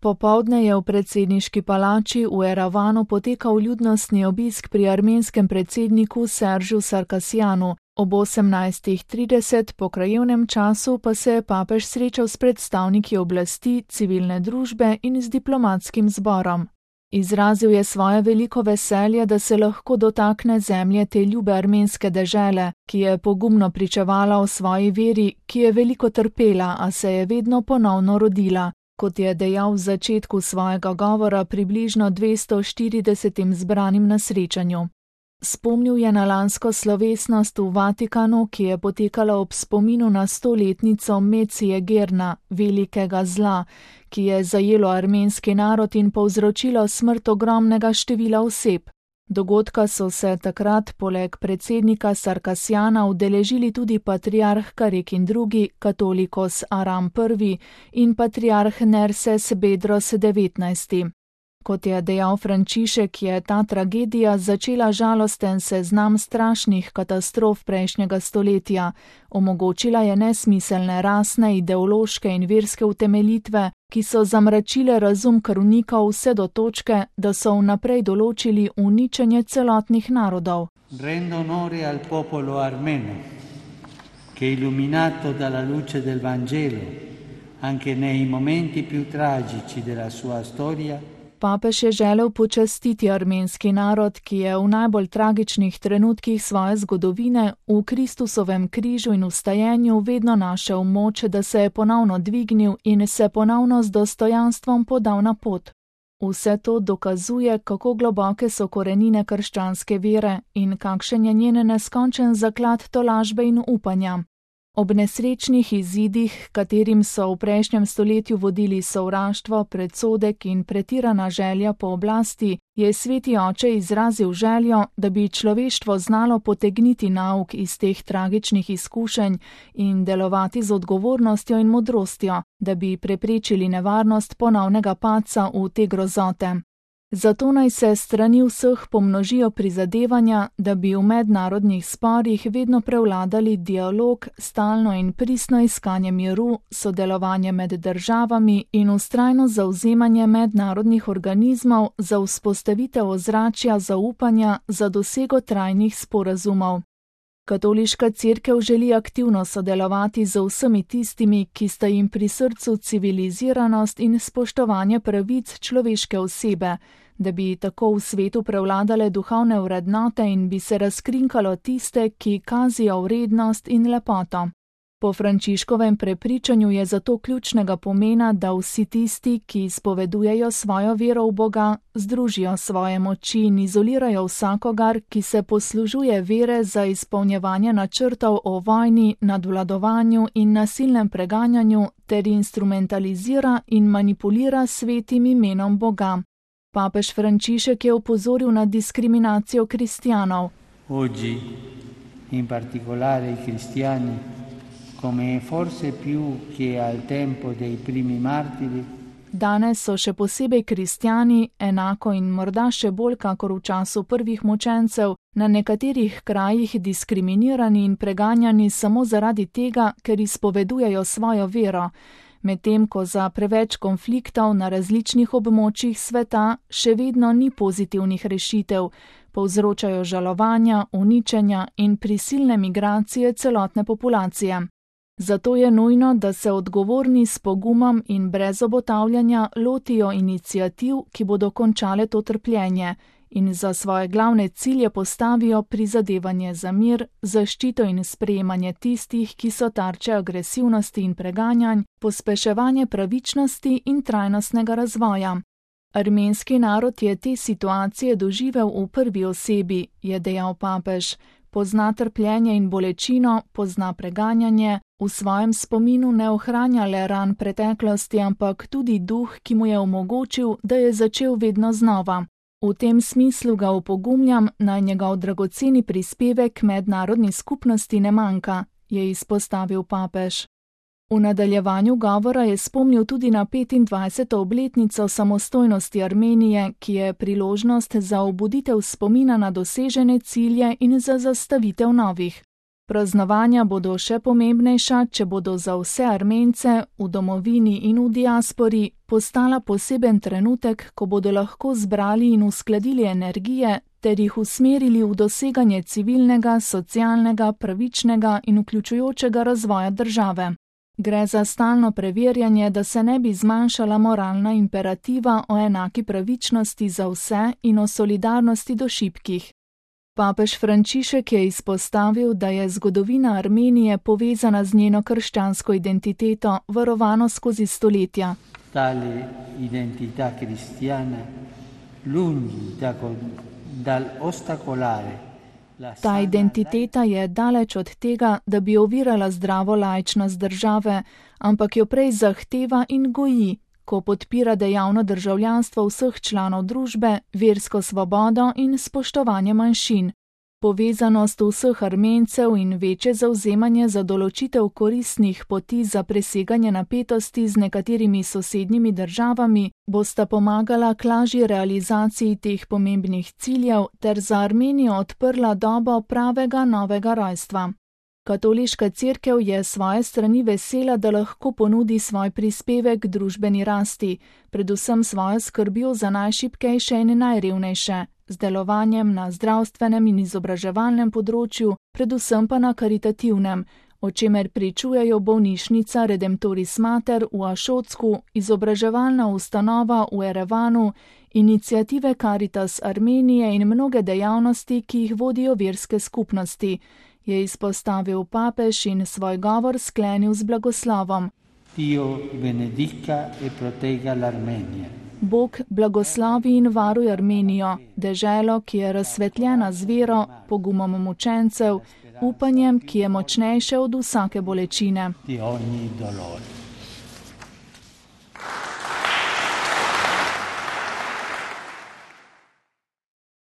Popoldne je v predsedniški palači v Erevanu potekal ljudnostni obisk pri armenskem predsedniku Seržu Sarkisjanu. Ob 18:30 po krajevnem času pa se je papež srečal s predstavniki oblasti, civilne družbe in z diplomatskim zborom. Izrazil je svoje veliko veselje, da se lahko dotakne zemlje te ljube armenske dežele, ki je pogumno pričevala o svoji veri, ki je veliko trpela, a se je vedno ponovno rodila. Kot je dejal v začetku svojega govora približno 240 zbranim na srečanju. Spomnil je na lansko slovesnost v Vatikanu, ki je potekala ob spominu na 100-letnico Mecije Gerna, velikega zla, ki je zajelo armenski narod in povzročilo smrt ogromnega števila oseb. Dogodka so se takrat poleg predsednika Sarkisjana udeležili tudi patriarh Karekin II, katolikos Aram I in patriarh Nerses Bedros XIX. Kot je dejal Frančišek, je ta tragedija začela žalosten seznam strašnih katastrof prejšnjega stoletja, omogočila je nesmiselne rasne, ideološke in verske utemeljitve, ki so zamračile razum krvnikov vse do točke, da so vnaprej določili uničenje celotnih narodov. Rendo onore al popolo armeno, che illuminato dalla luce del Vangelo, anche nei momenti più tragici della sua storia. Papež je želel počastiti armenski narod, ki je v najbolj tragičnih trenutkih svoje zgodovine v Kristusovem križu in vstajenju vedno našel moč, da se je ponovno dvignil in se ponovno z dostojanstvom podal na pot. Vse to dokazuje, kako globoke so korenine krščanske vere in kakšen je njen neskončen zaklad tolažbe in upanja. Ob nesrečnih izidih, katerim so v prejšnjem stoletju vodili sovraštvo, predsodek in pretirana želja po oblasti, je sveti oče izrazil željo, da bi človeštvo znalo potegniti nauk iz teh tragičnih izkušenj in delovati z odgovornostjo in modrostjo, da bi preprečili nevarnost ponovnega padca v te grozote. Zato naj se strani vseh pomnožijo prizadevanja, da bi v mednarodnih sporih vedno prevladali dialog, stalno in pristno iskanje miru, sodelovanje med državami in vztrajno zavzemanje mednarodnih organizmov za vzpostavitev ozračja zaupanja za dosego trajnih sporazumov. Katoliška cerkev želi aktivno sodelovati z vsemi tistimi, ki sta jim pri srcu civiliziranost in spoštovanje pravic človeške osebe, da bi tako v svetu prevladale duhovne vrednote in bi se razkrinkalo tiste, ki kazijo vrednost in lepoto. Po Frančiškovem prepričanju je zato ključnega pomena, da vsi tisti, ki izpovedujejo svojo vero v Boga, združijo svoje moči in izolirajo vsakogar, ki se poslužuje vere za izpolnjevanje načrtov o vojni, nadvladovanju in nasilnem preganjanju ter instrumentalizira in manipulira svetim imenom Boga. Papež Frančišek je opozoril na diskriminacijo kristjanov. Oggi, in particolare i cristiani, come forse più che al tempo dei primi martiri. Danes so še posebej kristjani, enako in morda še bolj kakor v času prvih mučencev, na nekaterih krajih diskriminirani in preganjani samo zaradi tega, ker izpovedujejo svojo vero, medtem ko za preveč konfliktov na različnih območjih sveta še vedno ni pozitivnih rešitev, povzročajo žalovanja, uničenja in prisilne migracije celotne populacije. Zato je nujno, da se odgovorni s pogumom in brez obotavljanja lotijo iniciativ, ki bodo končale to trpljenje in za svoje glavne cilje postavijo prizadevanje za mir, zaščito in sprejemanje tistih, ki so tarče agresivnosti in preganjanj, pospeševanje pravičnosti in trajnostnega razvoja. Armenski narod je te situacije doživel v prvi osebi, je dejal papež. Pozna trpljenje in bolečino, pozna preganjanje, v svojem spominu ne ohranja le ran preteklosti, ampak tudi duh, ki mu je omogočil, da je začel vedno znova. V tem smislu ga opogumljam, naj njegov dragoceni prispevek mednarodni skupnosti ne manjka, je izpostavil papež. V nadaljevanju govora je spomnil tudi na 25. obletnico samostojnosti Armenije, ki je priložnost za obuditev spomina na dosežene cilje in za zastavitev novih. Praznovanja bodo še pomembnejša, če bodo za vse Armence v domovini in v diaspori postala poseben trenutek, ko bodo lahko zbrali in uskladili energije ter jih usmerili v doseganje civilnega, socialnega, pravičnega in vključujočega razvoja države. Gre za stalno preverjanje, da se ne bi zmanjšala moralna imperativa o enaki pravičnosti za vse in o solidarnosti do šibkih. Papež Frančišek je izpostavil, da je zgodovina Armenije povezana z njeno krščansko identiteto, varovano skozi stoletja. Tale identità cristiana, lungi dal ostacolare. Ta identiteta je daleč od tega, da bi ovirala zdravo laičnost države, ampak jo prej zahteva in goji, ko podpira dejavno državljanstvo vseh članov družbe, versko svobodo in spoštovanje manjšin. Povezanost vseh Armencev in večje zavzemanje za določitev koristnih poti za preseganje napetosti z nekaterimi sosednjimi državami bosta pomagala k lažji realizaciji teh pomembnih ciljev ter za Armenijo odprla dobo pravega novega rojstva. Katoliška cerkev je svoje strani vesela, da lahko ponudi svoj prispevek k družbeni rasti, predvsem svojo skrbjo za najšibkejše in najrevnejše, z delovanjem na zdravstvenem in izobraževalnem področju, predvsem pa na karitativnem, o čemer pričujejo bolnišnica Redemptoris Mater v Ašocku, izobraževalna ustanova v Erevanu, iniciative Caritas Armenije in mnoge dejavnosti, ki jih vodijo verske skupnosti, je izpostavil papež in svoj govor sklenil z blagoslovom. Dio benedica e protegga l'Armenija. Bog blagoslovi in varuj Armenijo, deželo, ki je razsvetljena z vero, pogumom mučencev, upanjem, ki je močnejše od vsake bolečine. Di ogni dolore.